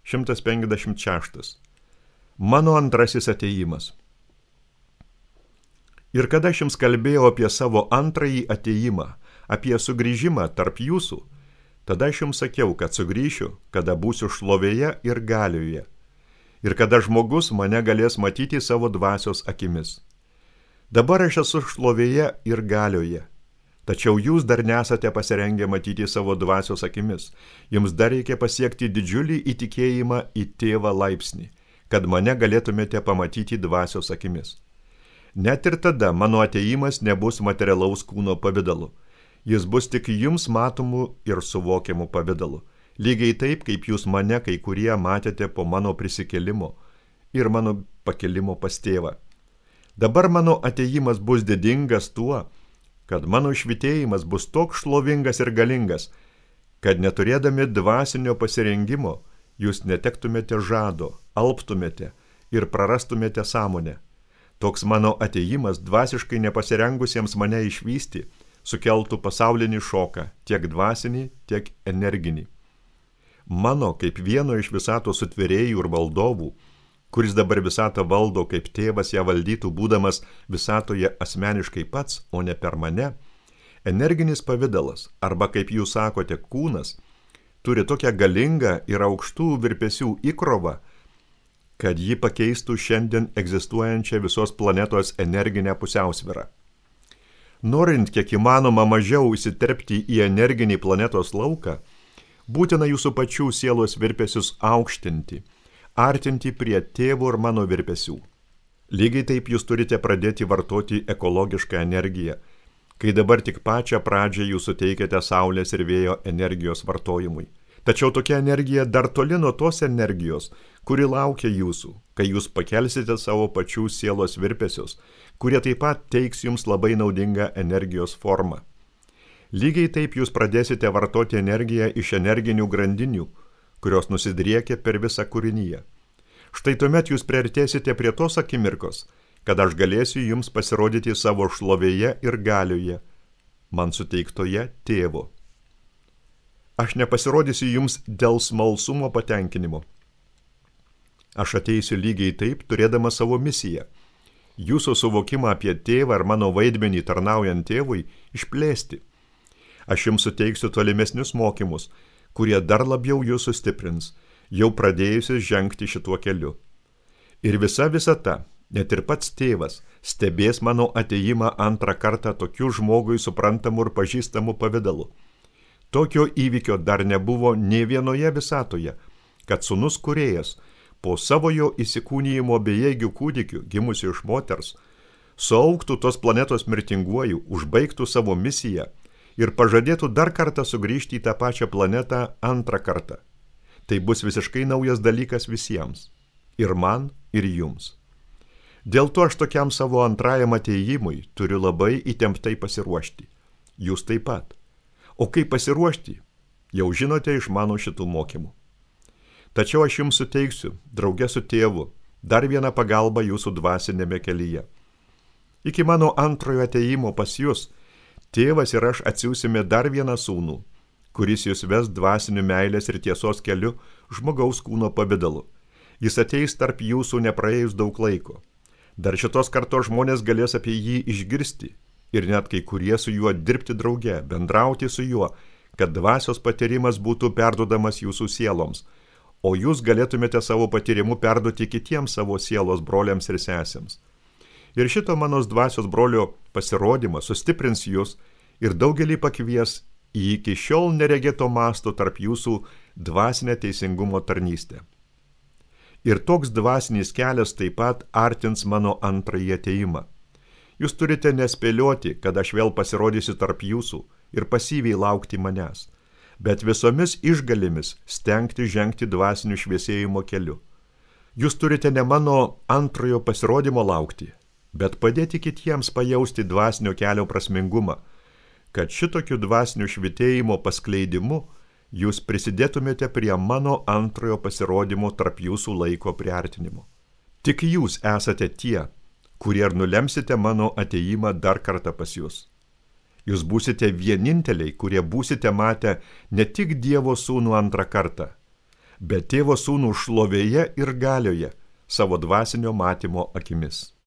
156. Mano antrasis atėjimas. Ir kada aš jums kalbėjau apie savo antrąjį atėjimą, apie sugrįžimą tarp jūsų, tada aš jums sakiau, kad sugrįšiu, kada būsiu šlovėje ir galioje, ir kada žmogus mane galės matyti savo dvasios akimis. Dabar aš esu šlovėje ir galioje, tačiau jūs dar nesate pasirengę matyti savo dvasios akimis. Jums dar reikia pasiekti didžiulį įtikėjimą į tėvą laipsnį, kad mane galėtumėte pamatyti dvasios akimis. Net ir tada mano atėjimas nebus materialaus kūno pavidalu. Jis bus tik jums matomų ir suvokiamų pavidalu. Lygiai taip, kaip jūs mane kai kurie matėte po mano prisikėlimo ir mano pakėlimo pas tėvą. Dabar mano atėjimas bus didingas tuo, kad mano švitėjimas bus toks šlovingas ir galingas, kad neturėdami dvasinio pasirengimo, jūs netektumėte žado, alptumėte ir prarastumėte sąmonę. Toks mano atėjimas dvasiškai nepasirengusiems mane išvysti sukeltų pasaulinį šoką, tiek dvasinį, tiek energinį. Mano, kaip vieno iš visatos sutvėrėjų ir valdovų, kuris dabar visatą valdo, kaip tėvas ją valdytų, būdamas visatoje asmeniškai pats, o ne per mane, energinis pavidalas, arba kaip jūs sakote, kūnas, turi tokią galingą ir aukštų virpesių įkrovą, kad ji pakeistų šiandien egzistuojančią visos planetos energinę pusiausvyrą. Norint kiek įmanoma mažiau įsiterpti į energinį planetos lauką, būtina jūsų pačių sielos virpesius aukštinti, artinti prie tėvo ir mano virpesių. Lygiai taip jūs turite pradėti vartoti ekologišką energiją, kai dabar tik pačią pradžią jūs suteikiate saulės ir vėjo energijos vartojimui. Tačiau tokia energija dar toli nuo tos energijos, kuri laukia jūsų, kai jūs pakelsite savo pačių sielos virpesius, kurie taip pat teiks jums labai naudingą energijos formą. Lygiai taip jūs pradėsite vartoti energiją iš energinių grandinių, kurios nusidriekia per visą kūrinyje. Štai tuomet jūs priartėsite prie tos akimirkos, kad aš galėsiu jums pasirodyti savo šlovėje ir galioje, man suteiktoje tėvo. Aš nepasirodysiu jums dėl smalsumo patenkinimo. Aš ateisiu lygiai taip, turėdama savo misiją. Jūsų suvokimą apie tėvą ar mano vaidmenį tarnaujant tėvui išplėsti. Aš jums suteiksiu tolimesnius mokymus, kurie dar labiau jūs sustiprins, jau pradėjusius žengti šituo keliu. Ir visa visata, net ir pats tėvas, stebės mano atėjimą antrą kartą tokiu žmogui suprantamu ir pažįstamu pavidalu. Tokio įvykio dar nebuvo nė vienoje visatoje, kad sūnus kūrėjas, po savo jo įsikūnijimo bejėgių kūdikių, gimusių iš moters, suaugtų tos planetos mirtinguoju, užbaigtų savo misiją ir pažadėtų dar kartą sugrįžti į tą pačią planetą antrą kartą. Tai bus visiškai naujas dalykas visiems, ir man, ir jums. Dėl to aš tokiam savo antrajam atėjimui turiu labai įtemptai pasiruošti. Jūs taip pat. O kaip pasiruošti, jau žinote iš mano šitų mokymų. Tačiau aš jums suteiksiu, drauge su tėvu, dar vieną pagalbą jūsų dvasinėme kelyje. Iki mano antrojo atėjimo pas jūs, tėvas ir aš atsiųsime dar vieną sūnų, kuris jūs ves dvasiniu meilės ir tiesos keliu žmogaus kūno pavidalu. Jis ateis tarp jūsų nepraėjus daug laiko. Dar šitos kartos žmonės galės apie jį išgirsti. Ir net kai kurie su juo dirbti drauge, bendrauti su juo, kad dvasios patyrimas būtų perduodamas jūsų sieloms, o jūs galėtumėte savo patyrimu perduoti kitiems savo sielos broliams ir sesėms. Ir šito mano dvasios brolio pasirodymas sustiprins jūs ir daugelį pakvies į iki šiol neregėto masto tarp jūsų dvasinę teisingumo tarnystę. Ir toks dvasinis kelias taip pat artins mano antrąjį atėjimą. Jūs turite nespėlioti, kad aš vėl pasirodysiu tarp jūsų ir pasyviai laukti manęs, bet visomis išgalėmis stengti žengti dvasinių šviesėjimo keliu. Jūs turite ne mano antrojo pasirodymo laukti, bet padėti kitiems pajausti dvasinio kelio prasmingumą, kad šitokiu dvasiniu švitėjimo paskleidimu jūs prisidėtumėte prie mano antrojo pasirodymo tarp jūsų laiko priartinimo. Tik jūs esate tie, kurie ir nulemsite mano atėjimą dar kartą pas jūs. Jūs būsite vieninteliai, kurie būsite matę ne tik Dievo sūnų antrą kartą, bet Tėvo Sūnų šlovėje ir galioje savo dvasinio matymo akimis.